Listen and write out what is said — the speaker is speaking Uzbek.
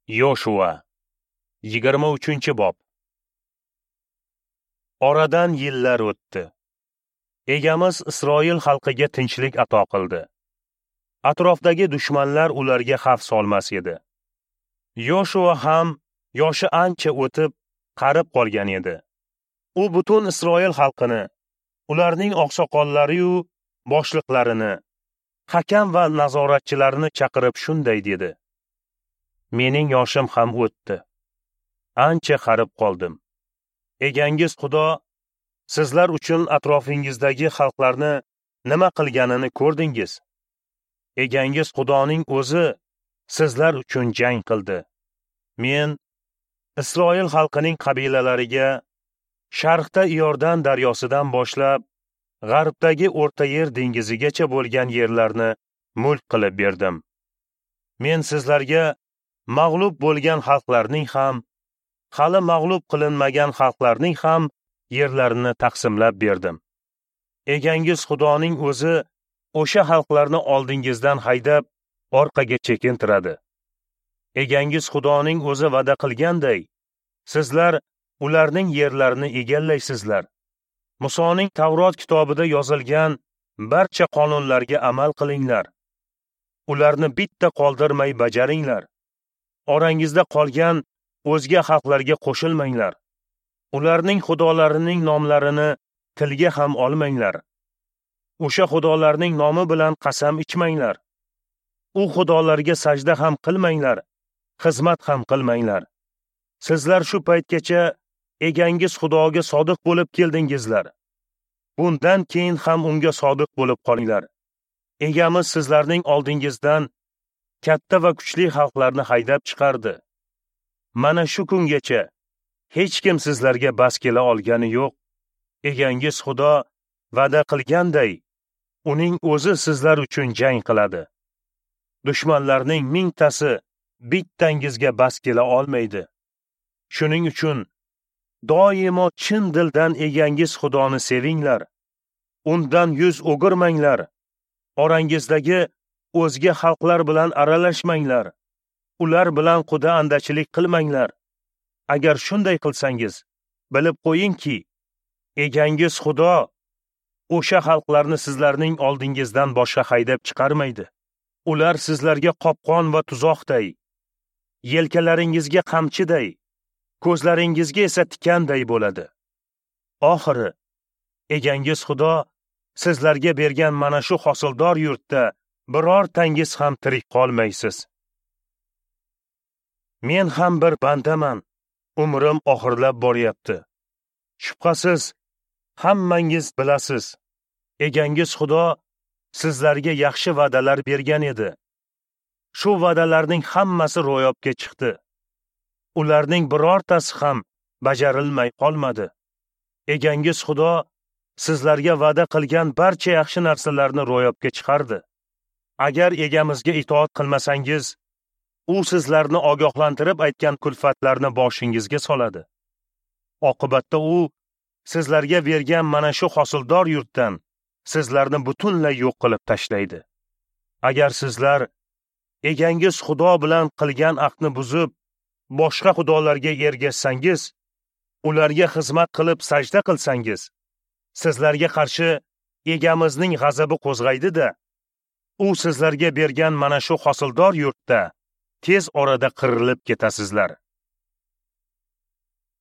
Yoshua 23-bob. Oradan yillar o'tdi. Egamiz Isroil xalqiga tinchlik ato qildi. Atrofdagi dushmanlar ularga xavf solmas edi. Yoshua ham yoshi ancha o'tib, qarib qolgan edi. U butun Isroil xalqini, ularning oqsoqollari-yu boshliqlarini, hakam va nazoratchilarini chaqirib shunday dedi: Mening yoshim ham o'tdi. Ancha qarib qoldim. Egangiz Xudo sizlar uchun atrofingizdagi xalqlarni nima qilganini ko'rdingiz. Egangiz Xudoning o'zi sizlar uchun jang qildi. Men Isroil xalqining qabilalariga sharqda Iordan daryosidan boshlab g'arbdagi O'rta Yer dengizigacha bo'lgan yerlarni mulk qilib berdim. Men sizlarga mag'lub bo'lgan xalqlarning ham, hali mag'lub qilinmagan xalqlarning ham yerlarini taqsimlab berdim. Egangiz Xudoning o'zi o'sha xalqlarni oldingizdan haydab, orqaga chekintiradi. Egangiz Xudoning o'zi va'da qilganday, sizlar ularning yerlarini egallaysizlar. Musoning Tavrot kitobida yozilgan barcha qonunlarga amal qilinglar. Ularni bitta qoldirmay bajaringlar. Orangizda qolgan o'zga xalqlarga qo'shilmanglar. Ularning xudolarining nomlarini tilga ham olmanglar. O'sha xudolarning nomi bilan qasam ichmanglar. U xudolarga sajda ham qilmanglar, xizmat ham qilmanglar. Sizlar shu paytgacha egangiz Xudoga sodiq bo'lib keldingizlar. Bundan keyin ham unga sodiq bo'lib qolinglar. Egamiz sizlarning oldingizdan katta va kuchli xalqlarni haydab chiqardi. Mana shu kungacha hech kim sizlarga bas kela olgani yo'q. Egangiz Xudo va'da qilganday, uning o'zi sizlar uchun jang qiladi. Dushmanlarning mingtasi bittangizga bas kela olmaydi. Shuning uchun doimo chin dildan egangiz Xudoni sevinglar. Undan yuz o'girmanglar. Orangizdagi o'zga xalqlar bilan aralashmanglar. Ular bilan quda andachilik qilmanglar. Agar shunday qilsangiz, bilib qo'yingki, egangiz Xudo o'sha xalqlarni sizlarning oldingizdan boshqa haydab chiqarmaydi. Ular sizlarga qopqon va tuzoqday, yelkalaringizga qamchiday, ko'zlaringizga esa tikanday bo'ladi. Oxiri egangiz Xudo sizlarga bergan mana shu hosildor yurtda birortangiz ham tirik qolmaysiz. Men ham bir bandaman, umrim oxirlab boryapti. Shubhasiz, hammangiz bilasiz, egangiz Xudo sizlarga yaxshi va'dalar bergan edi. Shu va'dalarning hammasi ro'yobga chiqdi. Ularning birortasi ham bajarilmay qolmadi. Egangiz Xudo sizlarga va'da qilgan barcha yaxshi narsalarni ro'yobga chiqardi. Agar egamizga itoat qilmasangiz, u sizlarni ogohlantirib aytgan kulfatlarni boshingizga soladi. Oqibatda u sizlarga bergan mana shu hosildor yurtdan sizlarni butunlay yo'q qilib tashlaydi. Agar sizlar egangiz Xudo bilan qilgan ahdni buzib, boshqa xudolarga ergashsangiz, ularga xizmat qilib sajda qilsangiz, sizlarga qarshi egamizning g'azabi qo'zg'aydi-da, u sizlarga bergan mana shu hosildor yurtda tez orada qirilib ketasizlar.